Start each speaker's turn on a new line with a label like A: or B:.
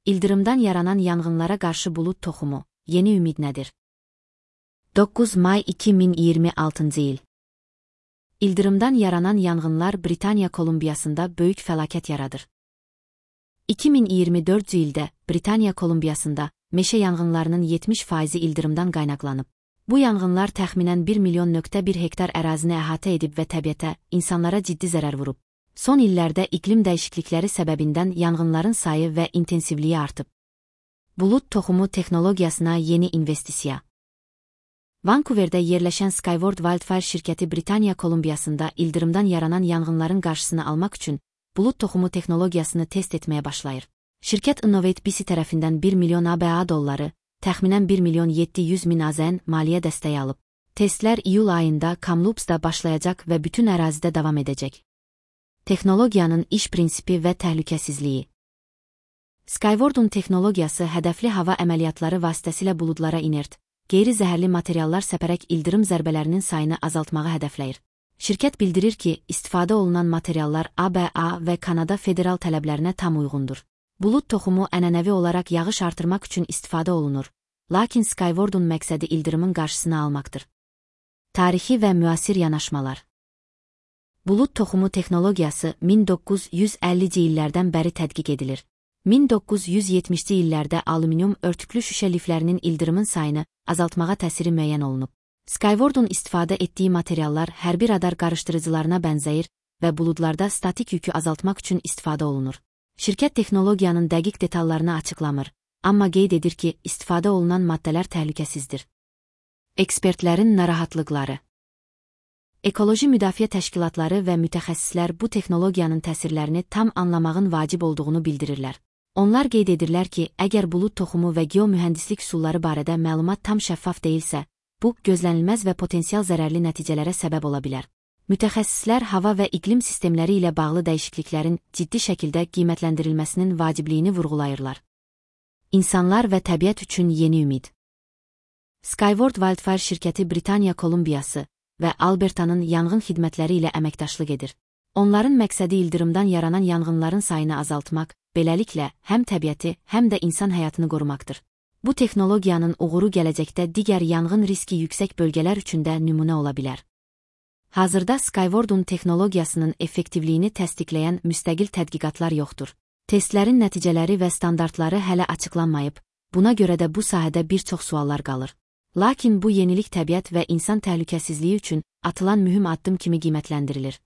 A: İldırımdan yaranan yanğınlara qarşı bulut toxumu, yeni ümid nədir? 9 may 2026 il. İldırımdan yaranan yanğınlar Britaniya Kolumbiyasında böyük fəlakət yaradır. 2024 ildə Britaniya Kolumbiyasında meşə yanğınlarının 70% ildırımdan qaynaqlanıb. Bu yanğınlar təxminən 1,1 hektar ərazini əhatə edib və təbiətə, insanlara ciddi zərər vurub. Son illərdə iqlim dəyişiklikləri səbəbindən yanğınların sayı və intensivliyi artıb. Bulut toxumu texnologiyasına yeni investisiya. Vancouverdə yerləşən Skyward Wildfire şirkəti Britaniya Kolumbiyasında ildırımdan yaranan yanğınların qarşısını almaq üçün bulut toxumu texnologiyasını test etməyə başlayır. Şirkət Innovate BC tərəfindən 1 milyon ABA dolları, təxminən 1,7 milyon AZN maliyyə dəstəyi alıb. Testlər iyul ayında Kamloops-da başlayacaq və bütün ərazidə davam edəcək. Texnologiyanın iş prinsipi və təhlükəsizliyi. Skyward'un texnologiyası hədəfli hava əməliyyatları vasitəsilə buludlara inert, qeyri-zəhərli materiallar səpərək ildırım zərbələrinin sayını azaltmağı hədəfləyir. Şirkət bildirir ki, istifadə olunan materiallar ABA və Kanada federal tələblərinə tam uyğundur. Bulut toxumu ənənəvi olaraq yağış artırmaq üçün istifadə olunur, lakin Skyward'un məqsədi ildırımın qarşısını almaqdır. Tarixi və müasir yanaşmalar. Bulut toxumu texnologiyası 1950-ci illərdən bəri tədqiq edilir. 1970-ci illərdə alüminium örtüklü şüşə liflərinin ildırımın sayını azaltmağa təsiri müəyyən olunub. Skyward'un istifadə etdiyi materiallar hərbi radar qarışdırıcılarına bənzəyir və buludlarda statik yükü azaltmaq üçün istifadə olunur. Şirkət texnologiyanın dəqiq detallarını açıqlamır, amma qeyd edir ki, istifadə olunan maddələr təhlükəsizdir. Ekspertlərin narahatlıqları. Ekoloji müdafiə təşkilatları və mütəxəssislər bu texnologiyanın təsirlərini tam anlamağın vacib olduğunu bildirirlər. Onlar qeyd edirlər ki, əgər bulut toxumu və geomühəndislik üsulları barədə məlumat tam şəffaf deyilsə, bu, gözlənilməz və potensial zərərli nəticələrə səbəb ola bilər. Mütəxəssislər hava və iqlim sistemləri ilə bağlı dəyişikliklərin ciddi şəkildə qiymətləndirilməsinin vacibliyini vurğulayırlar. İnsanlar və təbiət üçün yeni ümid. Skyward Wildfire şirkəti Britaniya Kolumbiyası və Albertanın yanğın xidmətləri ilə əməkdaşlıq edir. Onların məqsədi ildırımdan yaranan yanğınların sayını azaltmaq, beləliklə həm təbiəti, həm də insan həyatını qorumaqdır. Bu texnologiyanın uğuru gələcəkdə digər yanğın riski yüksək bölgələr üçün də nümunə ola bilər. Hazırda Skyward'un texnologiyasının effektivliyini təsdiqləyən müstəqil tədqiqatlar yoxdur. Testlərin nəticələri və standartları hələ açıqlanmayıb, buna görə də bu sahədə bir çox suallar qalır. Lakin bu yenilik təbiət və insan təhlükəsizliyi üçün atılan mühüm addım kimi qiymətləndirilir.